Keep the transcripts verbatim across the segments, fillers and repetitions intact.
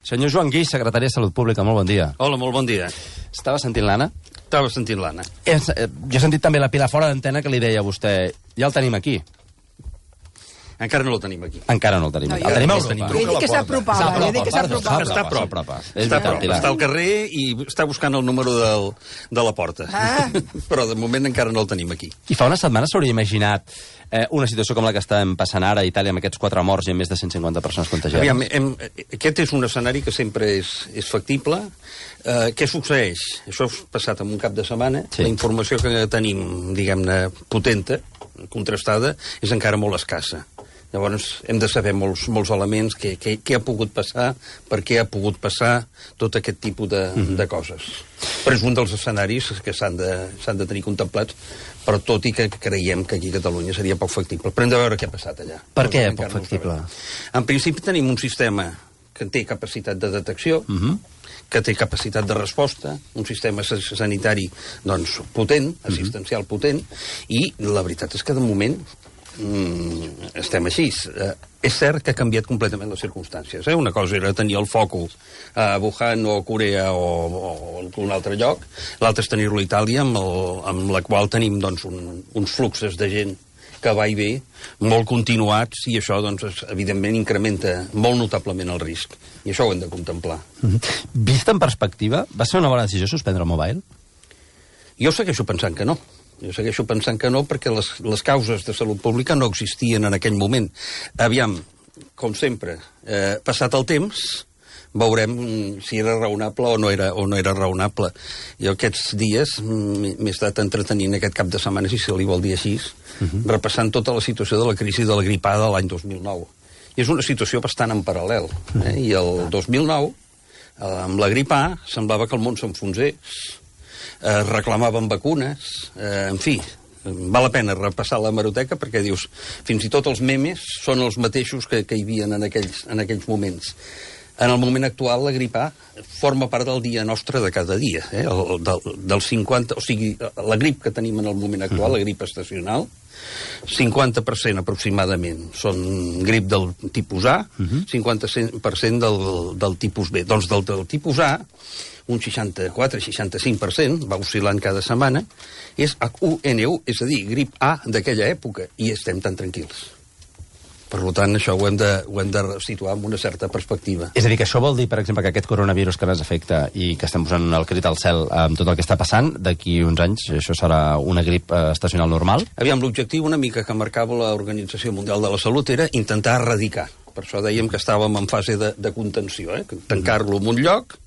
Senyor Joan Guix, secretari de Salut Pública, molt bon dia. Hola, molt bon dia. Estava sentint l'Anna? Estava sentint l'Anna. Eh, jo he sentit també la Pilar fora d'antena que li deia a vostè, ja el tenim aquí. Encara no el tenim aquí. Encara no el tenim No, aquí. jo- El tenim a jo Europa. he dit que s'apropava, he dit que s'apropava. Està a prop. S'apropa. És Està a veritat, prop. Pilar. Està al carrer i està buscant el número del, de la porta. Ah. Però de moment encara no el tenim aquí. I fa una setmana s'hauria imaginat eh, una situació com la que estem passant ara a Itàlia amb aquests quatre morts i amb més de cent cinquanta persones contagiades? Aviam, hem, aquest és un escenari que sempre és, és factible. Uh, què succeeix? Això ha passat en un cap de setmana. Sí. La informació que tenim, diguem-ne, potenta, contrastada, és encara molt escassa. Llavors, hem de saber molts, molts elements, què, què, què ha pogut passar, per què ha pogut passar, tot aquest tipus de, mm-hmm. de coses. Però és un dels escenaris que s'han de, s'han de tenir contemplats, però tot i que creiem que aquí a Catalunya seria poc factible. Però hem de veure què ha passat allà. Per què Encara poc no ho factible? sabem. En principi tenim un sistema que té capacitat de detecció, Mhm. que té capacitat de resposta, un sistema sanitari doncs, potent, assistencial potent, i la veritat és que de moment mm, estem així. Eh, és cert que ha canviat completament les circumstàncies. Eh? Una cosa era tenir el focus a Wuhan o a Corea o, o en un altre lloc, l'altre és tenir-lo a Itàlia, amb, el, amb la qual tenim doncs, un, uns fluxes de gent que va i ve, molt continuats, i això, doncs, es, evidentment, incrementa molt notablement el risc. I això ho hem de contemplar. Mhm. Vist en perspectiva, va ser una bona decisió suspendre el mobile? Jo segueixo pensant que no. Jo segueixo pensant que no perquè les, les causes de salut pública no existien en aquell moment. Aviam, com sempre, eh, passat el temps, veurem si era raonable o no era, o no era raonable. Jo aquests dies m'he estat entretenint aquest cap de setmana, si se li vol dir així, uh-huh. repassant tota la situació de la crisi de la gripada de l'any dos mil nou. I és una situació bastant en paral·lel. Eh? I el dos mil nou, eh, amb la grip A, semblava que el món s'enfonsés, eh, reclamaven vacunes, eh, en fi, val la pena repassar la hemeroteca perquè dius, fins i tot els memes són els mateixos que, que hi havia en aquells, en aquells moments. En el moment actual, la grip A forma part del dia nostre de cada dia. Eh? El, del, del cinquanta, o sigui, la grip que tenim en el moment actual, la grip estacional, cinquanta per cent aproximadament són grip del tipus A, cinquanta per cent del, del tipus B. Doncs del, del tipus A, un seixanta-quatre seixanta-cinc per cent, va oscil·lant cada setmana, és H u N u, és a dir, grip A d'aquella època, i estem tan tranquils. Per tant, això ho hem, de, ho hem de situar amb una certa perspectiva. És a dir, que això vol dir, per exemple, que aquest coronavirus que ens afecta i que estem posant el crit al cel amb tot el que està passant, d'aquí uns anys això serà una grip eh, estacional normal? Aviam, l'objectiu una mica que marcava l'Organització Mundial de la Salut era intentar erradicar. Per això dèiem que estàvem en fase de, de contenció, eh? Tancar-lo en un lloc,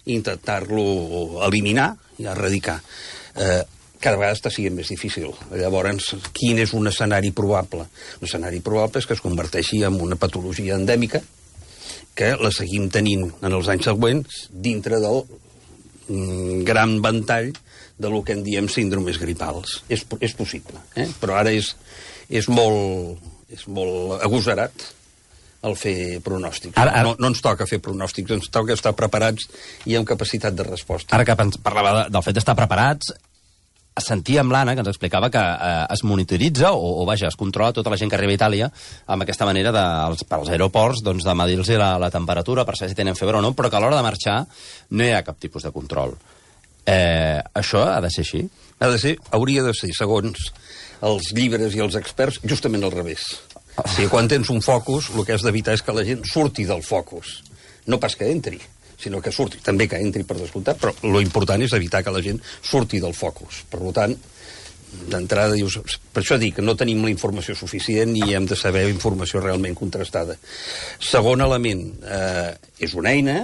intentar-lo eliminar i erradicar. Eh, cada vegada està sent més difícil. Llavors, quin és un escenari probable? Un escenari probable és que es converteixi en una patologia endèmica que la seguim tenint en els anys següents dintre del mm, gran ventall de lo que en diem síndromes gripals. És, és possible, eh? Però ara és, és, molt, és molt agosarat el fer pronòstics. Ara, ara... No, no ens toca fer pronòstics, ens toca estar preparats i amb capacitat de resposta. Ara que parlava de, del fet d'estar preparats, sentíem l'Anna, que ens explicava que eh, es monitoritza, o, o vaja, es controla tota la gent que arriba a Itàlia amb aquesta manera de, els, per als aeroports doncs, de medir-los la, la temperatura per saber si tenen febre o no, però que a l'hora de marxar no hi ha cap tipus de control. Eh, això ha de ser així? Ha de ser, hauria de ser, segons els llibres i els experts, justament al revés. O sigui, quan tens un focus, el que has d'evitar és que la gent surti del focus. No pas que entri, sinó que surti. També que entri per descomptat, però lo important és evitar que la gent surti del focus. Per tant, d'entrada dius... Per això dic que no tenim la informació suficient i hem de saber informació realment contrastada. Segon element, eh, és una eina,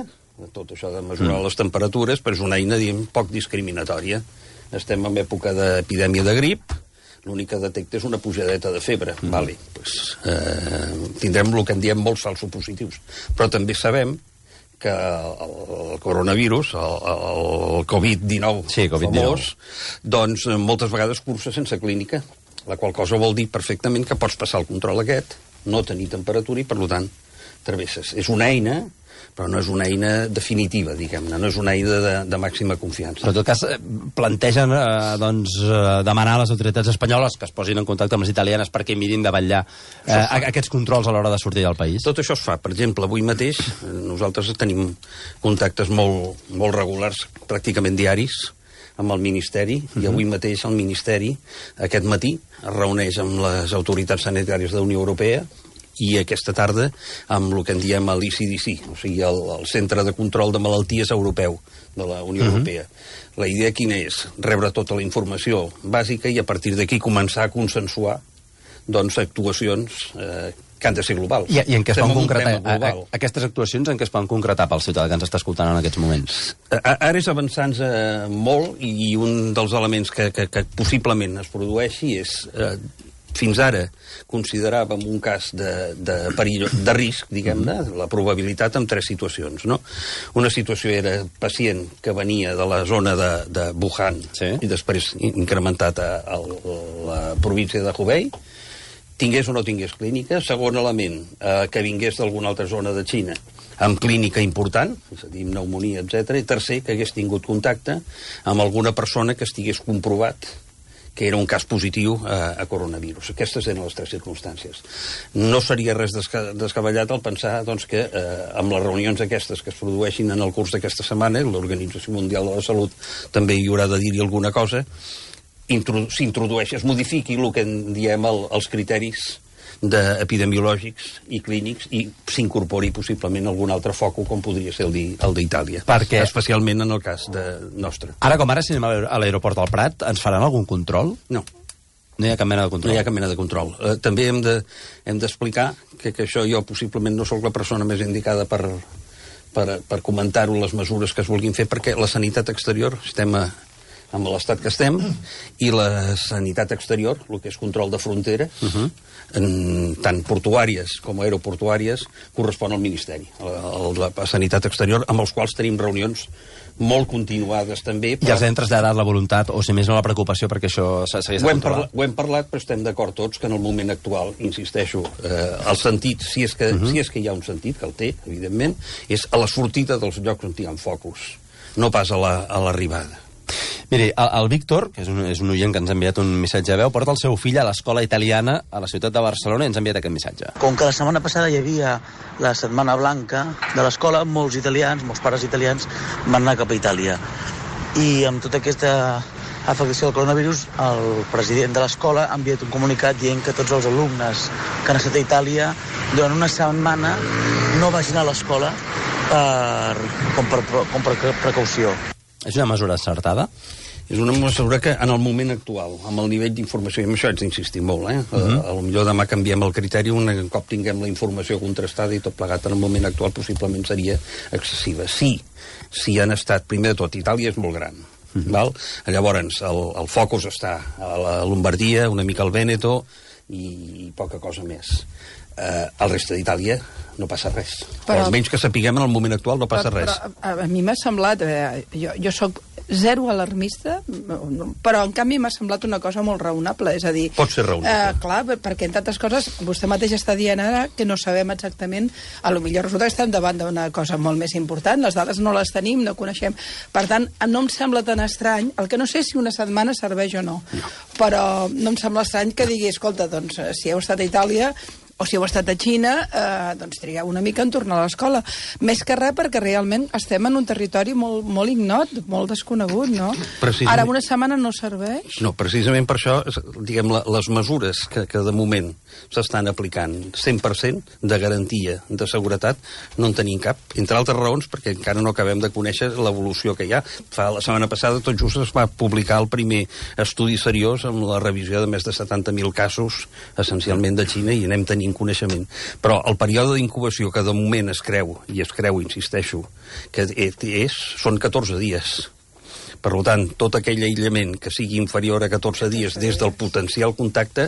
tot això de mesurar mm. les temperatures, però és una eina, diguem, poc discriminatòria. Estem en època d'epidèmia de grip, l'únic que detecta és una pujadeta de febre. Mm. Vale, pues, eh, tindrem el que en diem molts falsos positius. Però també sabem que el, el coronavirus, el, el covid dinou sí, COVID famós, doncs moltes vegades cursa sense clínica, la qual cosa vol dir perfectament que pots passar el control aquest, no tenir temperatura i, per tant, travesses. És una eina però no és una eina definitiva, diguem-ne, no és una eina de, de màxima confiança. Però en tot cas plantegen eh, doncs, demanar a les autoritats espanyoles que es posin en contacte amb les italianes perquè mirin de vetllar eh, aquests controls a l'hora de sortir del país. Tot això es fa. Per exemple, avui mateix nosaltres tenim contactes molt, molt regulars, pràcticament diaris, amb el Ministeri, uh-huh. i avui mateix el Ministeri, aquest matí, es reuneix amb les autoritats sanitàries de la Unió Europea i aquesta tarda amb el que en diem l'I C D C, o sigui, el, el Centre de Control de Malalties Europeu de la Unió uh-huh. Europea. La idea quina és? Rebre tota la informació bàsica i a partir d'aquí començar a consensuar doncs, actuacions eh, que han de ser globals. I, i en què es poden concretar a, a, aquestes actuacions en què es poden concretar pel ciutadà que ens està escoltant en aquests moments? Ara és avançant eh, molt i un dels elements que, que, que possiblement es produeixi és eh, fins ara consideràvem un cas de, de perill, de risc, diguem-ne, la probabilitat en tres situacions, no? Una situació era pacient que venia de la zona de, de Wuhan sí. i després incrementat a, a la província de Hubei, tingués o no tingués clínica. Segon element, eh, que vingués d'alguna altra zona de Xina amb clínica important, és a dir, pneumonia, etcètera. I tercer, que hagués tingut contacte amb alguna persona que estigués comprovat que era un cas positiu a, a coronavirus. Aquestes eren les tres circumstàncies. No seria res desca descabellat el pensar doncs, que eh, amb les reunions aquestes que es produeixin en el curs d'aquesta setmana, l'Organització Mundial de la Salut també hi haurà de dir-hi alguna cosa, s'introdueix, es modifiqui el que en diem el, els criteris epidemiològics i clínics i s'incorpori possiblement algun altre foco com podria ser el d'Itàlia, perquè... especialment en el cas de nostre. Ara com ara, si anem a l'aeroport del Prat, ens faran algun control? No. No hi ha cap mena de control? No hi ha cap mena de control. Uh, també hem de, hem d'explicar que, que això jo possiblement no sóc la persona més indicada per, per, per comentar-ho, les mesures que es vulguin fer, perquè la sanitat exterior, estem a, amb l'estat que estem, i la sanitat exterior, el que és control de fronteres, uh-huh. en, tant portuàries com aeroportuàries, correspon al Ministeri, a la, la sanitat exterior, amb els quals tenim reunions molt continuades també. Però... I els hem traslladat la voluntat, o si més no la preocupació, perquè això s'hagués de controlar? Ho hem parlat, però estem d'acord tots que en el moment actual, insisteixo, eh, el sentit, si és, que, uh-huh. si és que hi ha un sentit, que el té, evidentment, és a la sortida dels llocs on hi ha focus, no pas a l'arribada. La, Miri, el, el Víctor, que és un, és un oient que ens ha enviat un missatge a veu, porta el seu fill a l'escola italiana a la ciutat de Barcelona i ens ha enviat aquest missatge. Com que la setmana passada hi havia la Setmana Blanca de l'escola, molts italians, molts pares italians van anar cap a Itàlia. I amb tota aquesta afectació del coronavirus, el president de l'escola ha enviat un comunicat dient que tots els alumnes que han estat a Itàlia durant una setmana no vagin a l'escola per, com, per, com per precaució. És una mesura encertada? És una mesura que, en el moment actual, amb el nivell d'informació, i amb això haig d'insistir molt, eh? Uh-huh. A, a lo millor demà canviem el criteri, un cop tinguem la informació contrastada i tot plegat en el moment actual possiblement seria excessiva. Sí, si han estat, primer de tot, Itàlia és molt gran, uh-huh. val? Llavors, el, el focus està a la Lombardia, una mica al Vèneto i, i poca cosa més. Uh, al reste d'Itàlia no passa res. Però, almenys que sapiguem en el moment actual no passa però, res. Però a mi m'ha semblat, eh, jo, jo sóc zero alarmista, però en canvi m'ha semblat una cosa molt raonable, és a dir... Pot ser raonable. Eh, clar, perquè entre altres coses, vostè mateix està dient ara que no sabem exactament, a lo millor resulta que estem davant d'una cosa molt més important, les dades no les tenim, no coneixem. Per tant, no em sembla tan estrany, el que no sé si una setmana serveix o no, no. però no em sembla estrany que digui, escolta, doncs, si heu estat a Itàlia, o si heu estat a Xina, eh, doncs trigueu una mica en tornar a l'escola. Més que res perquè realment estem en un territori molt, molt ignot, molt desconegut, no? Ara una setmana no serveix? No, precisament per això, diguem, la, les mesures que, que de moment s'estan aplicant cent per cent de garantia de seguretat no en tenim cap, entre altres raons perquè encara no acabem de conèixer l'evolució que hi ha. Fa la setmana passada tot just es va publicar el primer estudi seriós amb la revisió de més de setanta mil casos, essencialment de Xina, i anem tenint coneixement. Però el període d'incubació que de moment es creu, i es creu, insisteixo, que és, són catorze dies. Per tant, tot aquell aïllament que sigui inferior a catorze dies des del potencial contacte,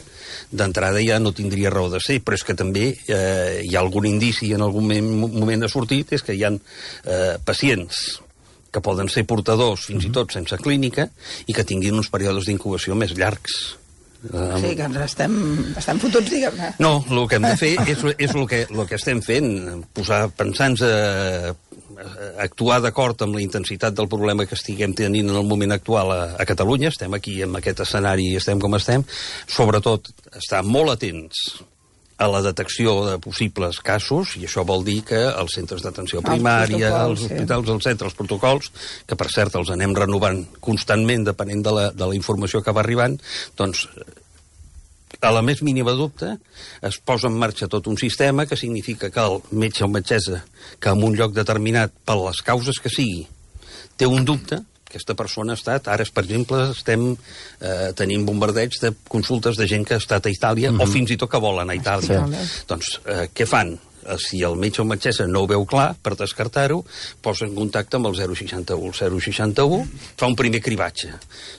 d'entrada ja no tindria raó de ser, però és que també eh, hi ha algun indici en algun moment ha sortit, és que hi ha eh, pacients que poden ser portadors fins i tot sense clínica i que tinguin uns períodes d'incubació més llargs. O sigui que ens estem, estem fotuts, diguem-ne. No, el que hem de fer és, és el, que, el que estem fent, posar, pensar-nos a, a actuar d'acord amb la intensitat del problema que estiguem tenint en el moment actual a, a Catalunya. Estem aquí en aquest escenari i estem com estem. Sobretot, estar molt atents a la detecció de possibles casos, i això vol dir que els centres d'atenció primària, els hospitals, sí. els centres, els protocols, que per cert els anem renovant constantment depenent de la, de la informació que va arribant, doncs a la més mínima dubte es posa en marxa tot un sistema que significa que el metge o metgessa que en un lloc determinat, per les causes que sigui, té un dubte, aquesta persona ha estat, ara, per exemple, estem eh, tenint bombardeig de consultes de gent que ha estat a Itàlia, mm-hmm. o fins i tot que volen a Itàlia. Sí. Doncs, eh, què fan? Si el metge o metgessa no ho veu clar, per descartar-ho, posa en contacte amb el zero seixanta-u. El zero seixanta-u fa un primer cribatge.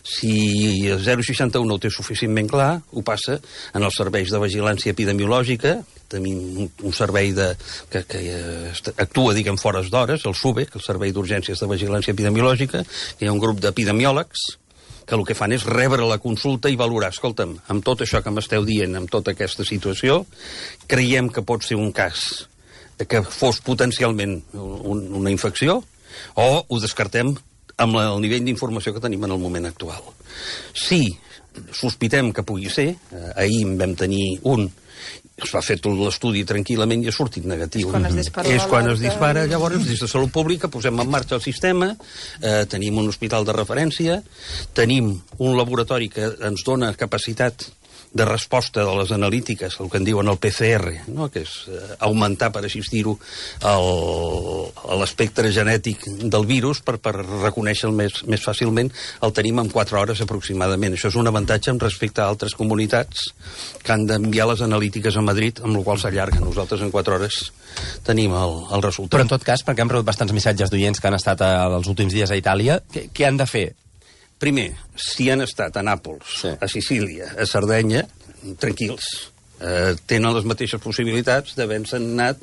Si el zero seixanta-u no ho té suficientment clar, ho passa en els serveis de vigilància epidemiològica. Tenim un servei de, que, que actua, diguem, fores d'hores, el SUBE, que és el Servei d'Urgències de Vigilància Epidemiològica, que hi ha un grup d'epidemiòlegs que el que fan és rebre la consulta i valorar, escolta'm, amb tot això que m'esteu dient, amb tota aquesta situació, creiem que pot ser un cas que fos potencialment un, una infecció, o ho descartem amb el nivell d'informació que tenim en el moment actual. Si sospitem que pugui ser, eh, ahir en vam tenir un, es va fer tot l'estudi tranquil·lament i ha sortit negatiu. És quan es dispara. És quan es dispara, llavors, des de Salut Pública posem en marxa el sistema, eh, tenim un hospital de referència, tenim un laboratori que ens dona capacitat de resposta de les analítiques, el que en diuen el P C R, no? Que és eh, augmentar, per així dir-ho, l'espectre genètic del virus per, per reconèixer-lo més, més fàcilment. El tenim en quatre hores aproximadament. Això és un avantatge amb respecte a altres comunitats que han d'enviar les analítiques a Madrid, amb la qual s'allarga. Nosaltres en quatre hores tenim el, el resultat. Però en tot cas, perquè hem rebut bastants missatges d'oients que han estat a, els últims dies a Itàlia, què, què han de fer? Primer, si han estat a Nàpols, sí. a Sicília, a Sardenya, tranquils. Eh, tenen les mateixes possibilitats d'haver-se anat,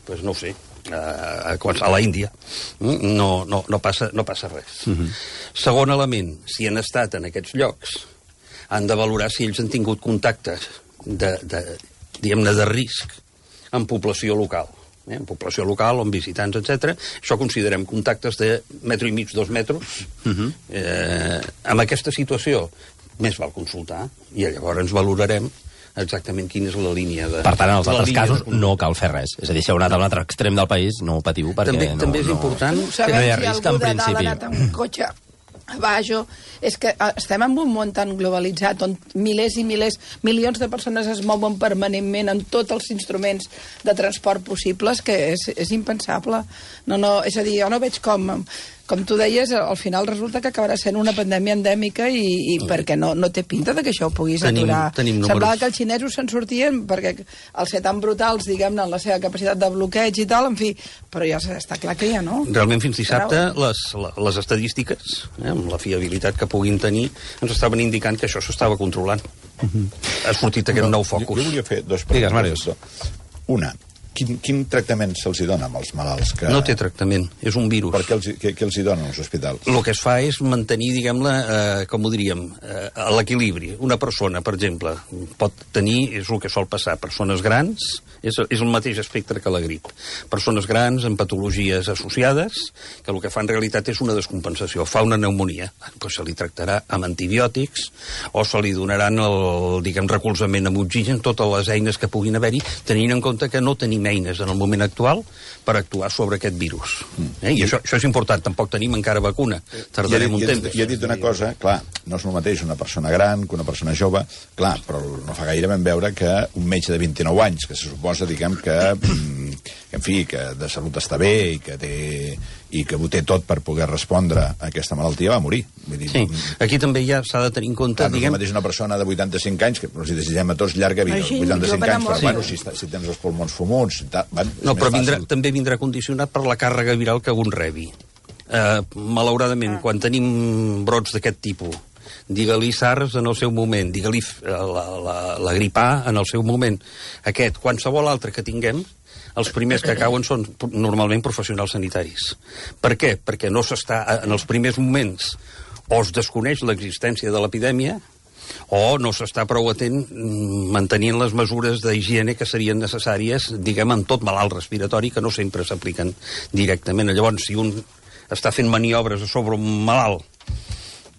doncs no ho sé, a, a, a la Índia. No, no, no, passa, no passa res. Uh-huh. Segon element, si han estat en aquests llocs, han de valorar si ells han tingut contactes de, de, diguem-ne, de risc en població local. Eh, en població local, o en visitants, etcètera. Això considerem contactes de metro i mig, dos metres. Uh-huh. eh, amb aquesta situació, més val consultar, i llavors ens valorarem exactament quina és la línia de... Per tant, en els altres casos de... no cal fer res. És a dir, si heu anat a un altre extrem del país, no ho patiu, perquè també, no... També és no, important... No, que no hi ha risc, si en principi. Ha anat amb un cotxe a baix, és que estem en un món tan globalitzat on milers i milers, milions de persones es mouen permanentment en tots els instruments de transport possibles que és, és impensable. No, no, és a dir, jo no veig com... Com tu deies, al final resulta que acabarà sent una pandèmia endèmica i, i perquè no, no té pinta de que això ho puguis tenim, aturar. Tenim Semblava que els xinesos se'n sortien perquè al ser tan brutals, diguem-ne, en la seva capacitat de bloqueig i tal, en fi, però ja està clar que ja no. Realment fins dissabte les, les estadístiques, eh, amb la fiabilitat que puguin tenir, ens estaven indicant que això s'estava controlant. Uh-huh. Ha sortit aquest no, nou focus. Jo, jo volia fer dos preguntes. Una, Quin, quin tractament se'ls dona amb els malalts? Que... No té tractament, és un virus. Per què els, què, què els hi donen als hospitals? El que es fa és mantenir, diguem-ne, eh, com ho diríem, eh, l'equilibri. Una persona, per exemple, pot tenir, és el que sol passar, persones grans, és, és el mateix espectre que la grip. Persones grans amb patologies associades, que el que fa en realitat és una descompensació, fa una pneumonia. Pues se li tractarà amb antibiòtics o se li donaran el, diguem, recolzament amb oxigen, totes les eines que puguin haver-hi, tenint en compte que no tenim eines en el moment actual per actuar sobre aquest virus. Eh? I això, això és important, tampoc tenim encara vacuna. Tardarem un temps. I he dit una cosa, clar, no és el mateix una persona gran que una persona jove, clar, però no fa gaire vam veure que un metge de vint-i-nou anys, que se suposa, diguem, que, que en fi, que de salut està bé i que té i que ho té tot per poder respondre a aquesta malaltia, va morir. Vull dir, sí, aquí també ja s'ha de tenir en compte... Clar, no diguem... és el mateix una persona de vuitanta-cinc anys, que els desitgem a tots llarga vida, Així, vuitanta-cinc anys, però sí. bueno, si, si tens els pulmons fumuts... Tal, van, no, però vindrà, també vindrà condicionat per la càrrega viral que un rebi. Uh, malauradament, ah. quan tenim brots d'aquest tipus, digue-li SARS en el seu moment, digue-li la, la, la grip A en el seu moment, aquest, qualsevol altre que tinguem, els primers que cauen són normalment professionals sanitaris. Per què? Perquè no s'està, en els primers moments, o es desconeix l'existència de l'epidèmia, o no s'està prou atent mantenint les mesures d'higiene que serien necessàries, diguem, en tot malalt respiratori, que no sempre s'apliquen directament. Llavors, si un està fent maniobres sobre un malalt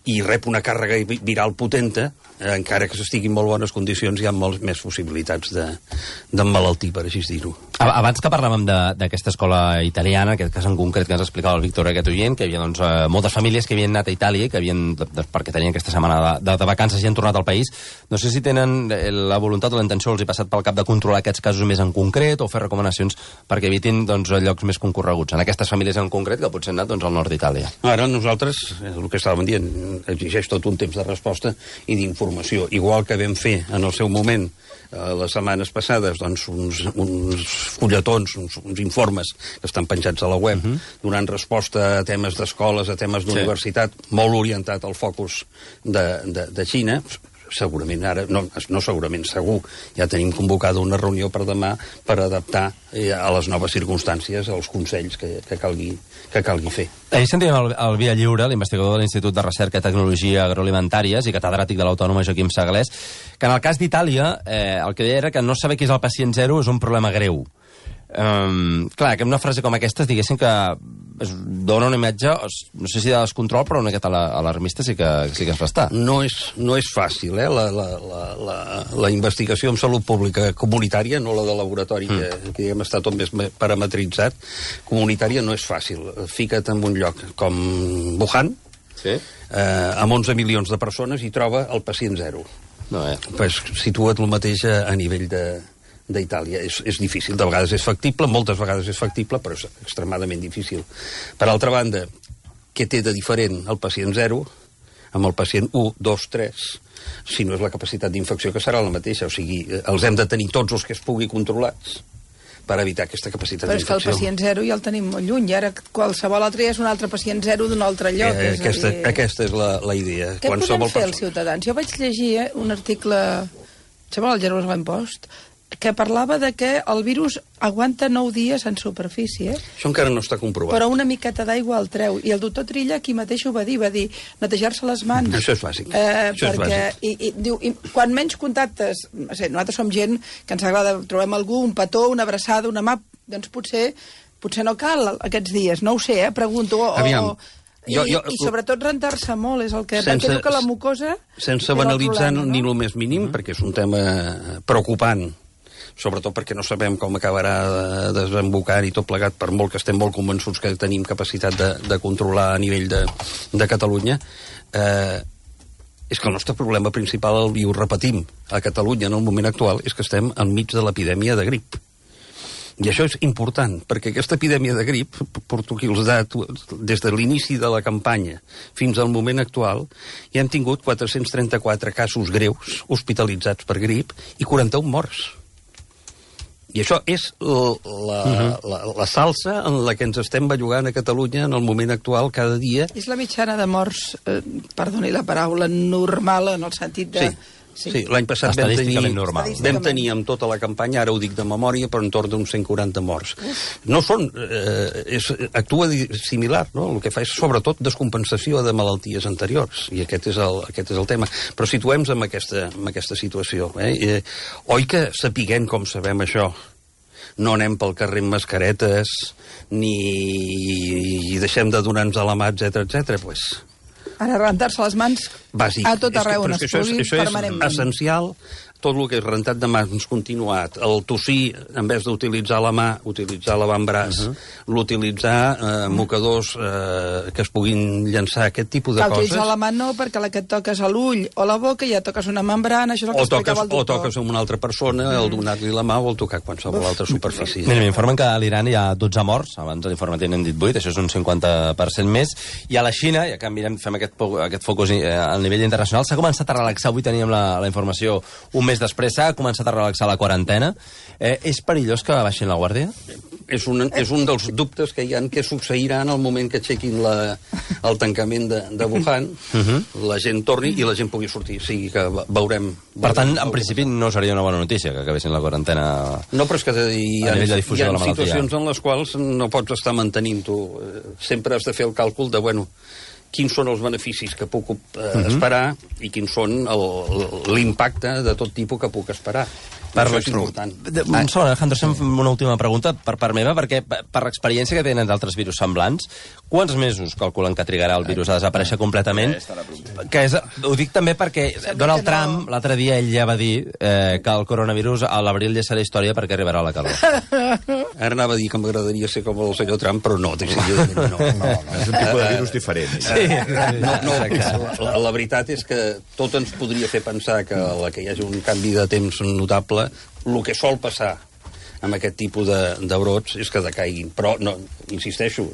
i rep una càrrega viral potenta, eh, encara que s'estigui en molt bones condicions, hi ha moltes més possibilitats d'emmalaltir, per així dir-ho. Abans que parlàvem d'aquesta escola italiana, aquest cas en concret que ens explicava el Víctor, aquest oient, que hi havia doncs, eh, moltes famílies que havien anat a Itàlia, que havien, de, de, perquè tenien aquesta setmana de, de, de vacances i han tornat al país, no sé si tenen la voluntat o la intenció, els hi passat pel cap de controlar aquests casos més en concret o fer recomanacions perquè evitin doncs, llocs més concorreguts en aquestes famílies en concret que potser han anat doncs, al nord d'Itàlia. Ara nosaltres, el que estàvem dient, exigeix tot un temps de resposta i d'informació. Igual que vam fer en el seu moment, eh, les setmanes passades, doncs, uns, uns fulletons, uns, uns informes que estan penjats a la web, uh-huh. donant resposta a temes d'escoles, a temes d'universitat, sí. molt orientat al focus de, de, de Xina. Segurament ara, no, no segurament, segur, ja tenim convocada una reunió per demà per adaptar eh, a les noves circumstàncies els consells que, que, calgui, que calgui fer. Ahir sentíem el, el Via Lliure, l'investigador de l'Institut de Recerca i Tecnologia Agroalimentàries i catedràtic de l'Autònoma Joaquim Sagalés, que en el cas d'Itàlia eh, el que deia era que no saber qui és el pacient zero és un problema greu. Um, clar, que una frase com aquesta diguéssim que es dona una imatge, no sé si de descontrol, però una miqueta alarmista sí que, sí que es fa estar. No és, no és fàcil, eh? La, la, la, la, la investigació en salut pública comunitària, no la de laboratori, mm. que, que diguem, està tot més parametritzat, comunitària no és fàcil. Fica't en un lloc com Wuhan, sí. eh, amb onze milions de persones, i troba el pacient zero. No, eh? Pues situa't el mateix a, a nivell de... d'Itàlia. És, és difícil, de vegades és factible, moltes vegades és factible, però és extremadament difícil. Per altra banda, què té de diferent el pacient zero amb el pacient u, dos, tres, si no és la capacitat d'infecció, que serà la mateixa? O sigui, els hem de tenir tots els que es pugui controlats per evitar aquesta capacitat d'infecció. Però és que el pacient zero ja el tenim molt lluny, i ara qualsevol altre ja és un altre pacient zero d'un altre lloc. Eh, és aquesta, dir... aquesta és la, la idea. Què Qualsevol podem fer persona... els ciutadans? Jo vaig llegir eh, un article, sembla el Jerusalem Post, que parlava de que el virus aguanta nou dies en superfície. Això encara no està comprovat. Però una miqueta d'aigua el treu. I el doctor Trilla aquí mateix ho va dir, va dir netejar-se les mans. Això és bàsic. Eh, Això perquè, és bàsic. I, i, diu, i quan menys contactes, no sé, nosaltres som gent que ens agrada, trobem algú, un petó, una abraçada, una mà, doncs potser, potser no cal aquests dies, no ho sé, eh, pregunto. O, Aviam. I, Jo, jo, i sobretot rentar-se molt, és el que... sense, perquè diu que la mucosa... Sense banalitzar problema, no? ni el més mínim, mm-hmm. perquè és un tema preocupant, sobretot perquè no sabem com acabarà desembocant i tot plegat, per molt que estem molt convençuts que tenim capacitat de, de controlar a nivell de, de Catalunya. Eh, és que el nostre problema principal, i ho repetim, a Catalunya en el moment actual, és que estem enmig de l'epidèmia de grip. I això és important, perquè aquesta epidèmia de grip, porto aquí els datos, des de l'inici de la campanya fins al moment actual, ja hem tingut quatre-cents trenta-quatre casos greus hospitalitzats per grip i quaranta-un morts. I això és la, la, uh-huh. la, la salsa en la que ens estem bellugant a Catalunya en el moment actual cada dia. És la mitjana de morts, eh, perdoni la paraula, normal en el sentit de... Sí. Sí, sí, l'any passat vam tenir, normal. vam tenir amb tota la campanya, ara ho dic de memòria, però entorn d'uns cent quaranta morts. Uf. No són... Eh, és, actua similar, no? El que fa és, sobretot, descompensació de malalties anteriors, i aquest és el, aquest és el tema. Però situem-nos en aquesta, en aquesta situació. Eh? Eh, oi que sapiguem com sabem això, no anem pel carrer amb mascaretes, ni deixem de donar-nos a la mà, etcètera, etcètera, doncs... Ara, rentar-se les mans bàsic. A tot arreu on es pugui, això permanentment. Això és essencial, tot el que és rentat de mans continuat, el tossir, en vez d'utilitzar la mà, utilitzar l'avantbraç, uh -huh. l'utilitzar eh, mocadors eh, que es puguin llançar, aquest tipus de Cal coses. utilitzar la mà no, perquè la que et toques a l'ull o la boca ja toques una membrana, això és el que o toques, explicava el doctor. o toques amb una altra persona, mm. el donar-li la mà o el tocar qualsevol altra superfície. Mira, m'informen que a l'Iran hi ha dotze morts, abans a l'informe n'hem dit vuit, això és un cinquanta per cent més, i a la Xina, ja que mirem, fem aquest, aquest focus a nivell internacional, s'ha començat a relaxar, avui teníem la, la informació un mes després, s'ha començat a relaxar la quarantena. Eh, és perillós que baixin la guàrdia? És un, és un dels dubtes que hi ha, que succeirà en el moment que aixequin la, el tancament de, de Wuhan, uh -huh. la gent torni i la gent pugui sortir. O sigui que veurem... Per tant, en principi no seria una bona notícia que acabessin la quarantena no, però és que hi ha, a nivell de difusió hi ha de la malaltia. situacions en les quals no pots estar mantenint tu. Sempre has de fer el càlcul de, bueno, quins són els beneficis que puc eh, esperar i quins són l'impacte de tot tipus que puc esperar. Per això és important. Un segon, Alejandro, fem una última pregunta per part meva, perquè per l'experiència que tenen d'altres virus semblants, quants mesos calculen que trigarà el virus a desaparèixer completament? Que és, ho dic també perquè Donald Trump, l'altre dia, ell ja va dir eh, que el coronavirus a l'abril ja serà història perquè arribarà la calor. Ara anava a dir que m'agradaria ser com el senyor Trump, però no, decididament no. No, no, és un tipus de virus diferent. Sí, no, no, la, la veritat és que tot ens podria fer pensar que, la, que hi hagi un canvi de temps notable. El que sol passar amb aquest tipus de, de brots és que decaiguin. Però, no, insisteixo,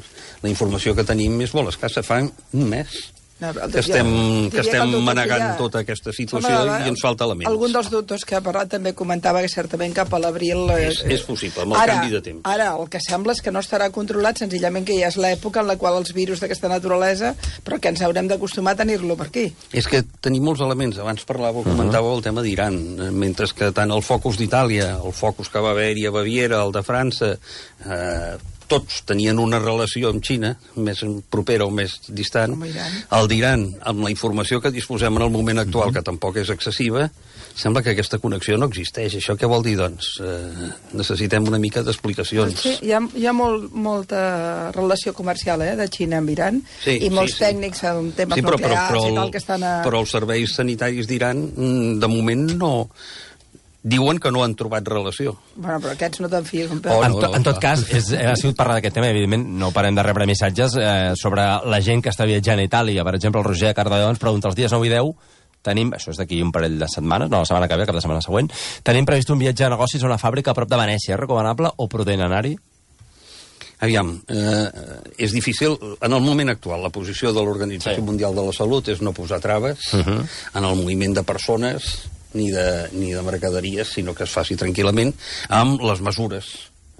la informació que tenim és molt escassa. Fa un mes No, que estem, que estem que manegant ja... tota aquesta situació Home, i ens falta elements. Algun dels doctors que ha parlat també comentava que certament cap a l'abril... És, és possible, amb el ara, canvi de temps. Ara, el que sembla és que no estarà controlat, senzillament que ja és l'època en la qual els virus d'aquesta naturalesa, però que ens haurem d'acostumar a tenir-lo per aquí. És que tenim molts elements. Abans parlàveu, comentàveu el tema d'Iran, mentre que tant el focus d'Itàlia, el focus que va haver-hi a Baviera, el de França... Eh, tots tenien una relació amb Xina, més propera o més distant. El d'Iran, amb la informació que disposem en el moment actual, que tampoc és excessiva, sembla que aquesta connexió no existeix. Això què vol dir, doncs? Eh, necessitem una mica d'explicacions. Sí, hi ha, hi ha molt, molta relació comercial eh, de Xina amb Iran, sí, i molts sí, sí. tècnics en temes sí, però, nuclears però, però, i tal que estan a... Però els serveis sanitaris d'Iran, de moment, no... Diuen que no han trobat relació. Bueno, però aquests no te'n fies. Oh, en, no, to, en tot no. cas, és, ha sigut parlar d'aquest tema, evidentment, no parem de rebre missatges eh, sobre la gent que està viatjant a Itàlia. Per exemple, el Roger Cardalló ens pregunta els dies nou i deu, tenim, això és d'aquí un parell de setmanes, no, la setmana que ve, cap de setmana següent, tenim previst un viatge a negocis a una fàbrica a prop de Venècia. És recomanable o prudent anar-hi? Aviam, eh, és difícil, en el moment actual, la posició de l'Organització sí. Mundial de la Salut és no posar traves uh -huh. en el moviment de persones ni de, ni de mercaderies, sinó que es faci tranquil·lament amb les mesures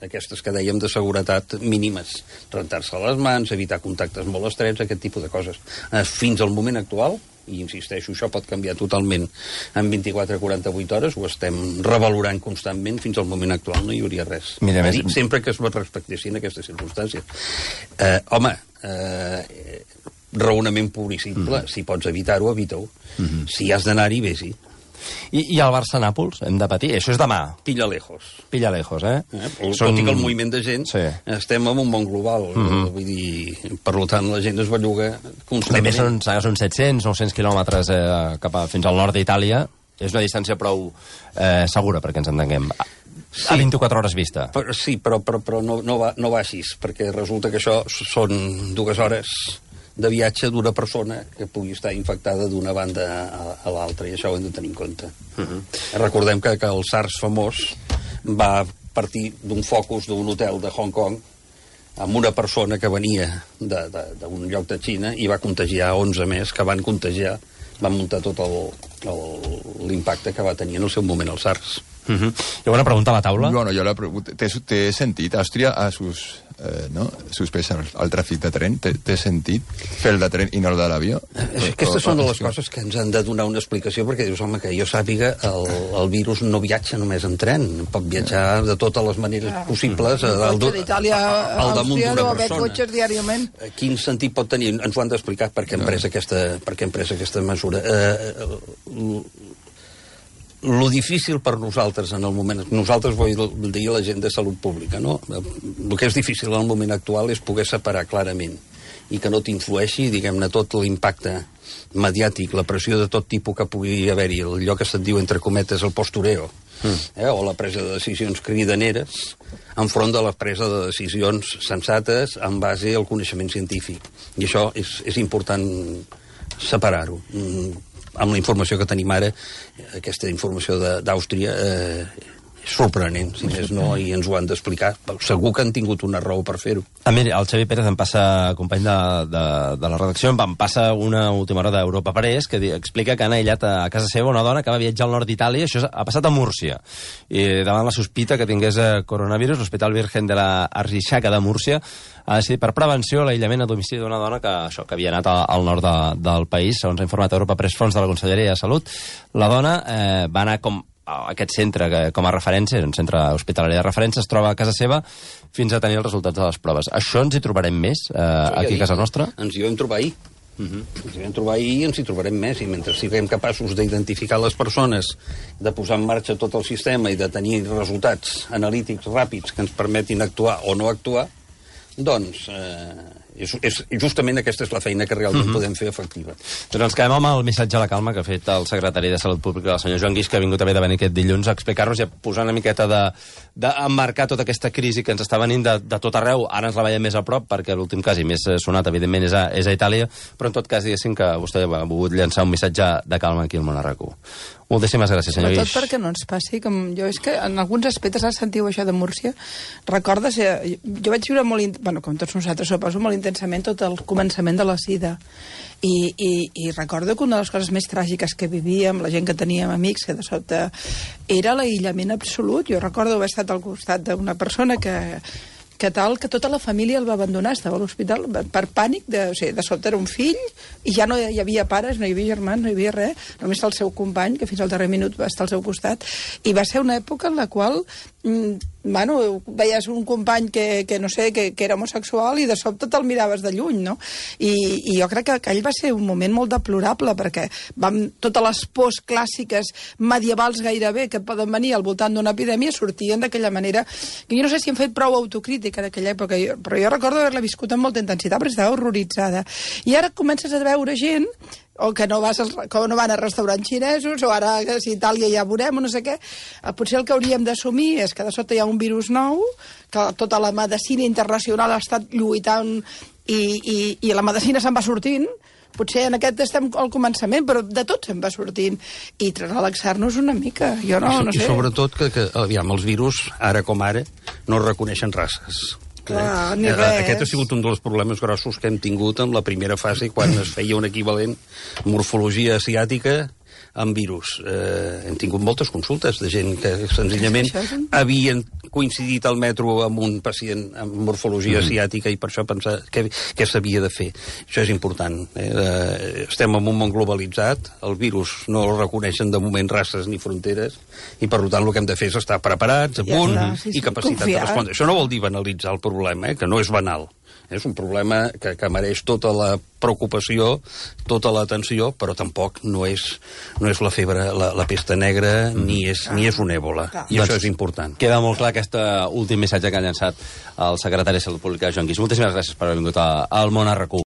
aquestes que dèiem de seguretat mínimes, rentar-se les mans, evitar contactes molt estrets, aquest tipus de coses. Eh, fins al moment actual, i insisteixo, això pot canviar totalment en vint-i-quatre a quaranta-vuit hores, ho estem revalorant constantment, fins al moment actual no hi hauria res. Mira, a dir, sempre que es respectessin aquestes circumstàncies. Eh, home, eh, raonament pur i simple, mm. si pots evitar-ho, evita-ho. Mm -hmm. Si has d'anar-hi, vés-hi. I, I al Barça-Nàpols hem de patir? Això és demà. Pilla lejos. Pilla lejos, eh? eh? Són... Tot i que el moviment de gent, sí. Estem en un món global. Mm -hmm. Vull dir, per tant, la gent es belluga constantment. També són, són set-cents, nou-cents quilòmetres eh, cap a, fins al nord d'Itàlia. És una distància prou eh, segura, perquè ens entenguem. Sí. A vint-i-quatre hores vista. Però, sí, però, però, però no, no, va, no va així, perquè resulta que això són dues hores de viatge d'una persona que pugui estar infectada d'una banda a, a l'altra, i això ho hem de tenir en compte. Uh-huh. Recordem que, que el SARS famós va partir d'un focus d'un hotel de Hong Kong amb una persona que venia d'un lloc de Xina i va contagiar onze més que van contagiar, van muntar tot l'impacte que va tenir en el seu moment el SARS. Uh-huh. Hi ha una pregunta a la taula? Bueno, jo la pregunta... Té sentit? Àustria ha sus, eh, no? suspès el, el tràfic de tren? Té, té sentit fer el de tren i no el de l'avió? Eh, Aquestes són de les coses que ens han de donar una explicació, perquè dius, home, que jo sàpiga, el, el virus no viatja només en tren, pot viatjar de totes les maneres ah. possibles al, al, d'Itàlia, al damunt d'una persona. Cotxes diàriament. Quin sentit pot tenir? Ens ho han d'explicar per què hem pres aquesta, per què hem pres aquesta mesura. Eh, Lo difícil per nosaltres en el moment... Nosaltres vull dir la gent de salut pública, no? El que és difícil en el moment actual és poder separar clarament i que no t'influeixi, diguem-ne, tot l'impacte mediàtic, la pressió de tot tipus que pugui haver-hi, allò que se't diu, entre cometes, el postureo, mm. eh, o la presa de decisions cridaneres, enfront de la presa de decisions sensates en base al coneixement científic. I això és, és important separar-ho. Mm. Amb la informació que tenim ara, aquesta informació d'Àustria eh, és sorprenent, si més no, i ens ho han d'explicar. Segur que han tingut una raó per fer-ho. Ah, mira, el Xavi Pérez em passa, company de, de, de la redacció, em passa una última hora d'Europa Press que explica que han aïllat a casa seva una dona que va viatjar al nord d'Itàlia, això ha passat a Múrcia. I davant la sospita que tingués coronavirus, l'Hospital Virgen de la Arrishaca de Múrcia ha decidit per prevenció l'aïllament a domicili d'una dona que, això, que havia anat al nord de, del país, segons ha informat Europa Press Fons de la Conselleria de Salut. La dona eh, va anar com a aquest centre que, com a referència, un centre hospitalari de referència, es troba a casa seva fins a tenir els resultats de les proves. Això ens hi trobarem més, eh, aquí a casa nostra? Ens hi vam trobar ahir. Uh-huh. Ens hi vam trobar ahir i ens hi trobarem més, i mentre siguem capaços d'identificar les persones, de posar en marxa tot el sistema i de tenir resultats analítics ràpids que ens permetin actuar o no actuar, doncs eh, és, és, justament aquesta és la feina que realment uh-huh. podem fer efectiva. Doncs ens quedem amb el missatge a la calma que ha fet el secretari de Salut Pública, el senyor Joan Guix, que ha vingut també de venir aquest dilluns a explicar-nos i a posar una miqueta de, d'emmarcar tota aquesta crisi que ens està venint de, de tot arreu. Ara ens la veiem més a prop, perquè l'últim cas i més sonat, evidentment, és a, és a Itàlia, però en tot cas, diguéssim que vostè ha volgut llançar un missatge de calma aquí al Món a RAC1. Moltíssimes gràcies, senyor Guix. Sobretot perquè no ens passi, com jo, és que en alguns aspectes, ara sentiu això de Múrcia, recordes, eh, jo vaig viure molt, bueno, com tots nosaltres, suposo, molt intensament tot el començament de la sida. I, i, i recordo que una de les coses més tràgiques que vivíem, la gent que teníem amics, que de sobte era l'aïllament absolut. Jo recordo haver estat al costat d'una persona que que tal, que tota la família el va abandonar, estava a l'hospital per pànic, de, o sigui, de sobte era un fill, i ja no hi havia pares, no hi havia germans, no hi havia res, només el seu company, que fins al darrer minut va estar al seu costat, i va ser una època en la qual, mm, bueno, veies un company que, que no sé, que, que era homosexual i de sobte te'l miraves de lluny, no? I, i jo crec que aquell va ser un moment molt deplorable, perquè vam, totes les pors clàssiques medievals gairebé que poden venir al voltant d'una epidèmia sortien d'aquella manera, que jo no sé si hem fet prou autocrítica en aquella època, però jo recordo haver-la viscut amb molta intensitat, perquè estava horroritzada. I ara comences a veure gent o que no, vas als, que no van a restaurants xinesos, o ara que si Itàlia ja veurem, o no sé què. Potser el que hauríem d'assumir és que de sota hi ha un virus nou, que tota la medicina internacional ha estat lluitant i, i, i la medicina se'n va sortint. Potser en aquest estem al començament, però de tot se'n va sortint. I relaxar-nos una mica, jo no, no sé. I sobretot que, que aviam, els virus, ara com ara, no reconeixen races. Clar, ni eh, res. Aquest ha sigut un dels problemes grossos que hem tingut en la primera fase, quan es feia un equivalent morfologia asiàtica amb virus. Eh, hem tingut moltes consultes de gent que senzillament havien coincidit al metro amb un pacient amb morfologia mm. asiàtica i per això pensar què, què s'havia de fer. Això és important. Eh? Eh, estem en un món globalitzat, el virus no el reconeixen de moment races ni fronteres i per tant el que hem de fer és estar preparats, a punt, ja està, sí, sí, i capacitat confiar. De respondre. Això no vol dir banalitzar el problema, eh? Que no és banal. És un problema que, que mereix tota la preocupació, tota l'atenció, però tampoc no és, no és la febre, la, la pesta negra, mm. ni, és, ah. ni és un èbola. Ah. I doncs això és important. Queda molt clar aquest últim missatge que ha llançat el secretari de Salut Pública, Joan Guix. Moltíssimes gràcies per haver vingut al Món a RAC1.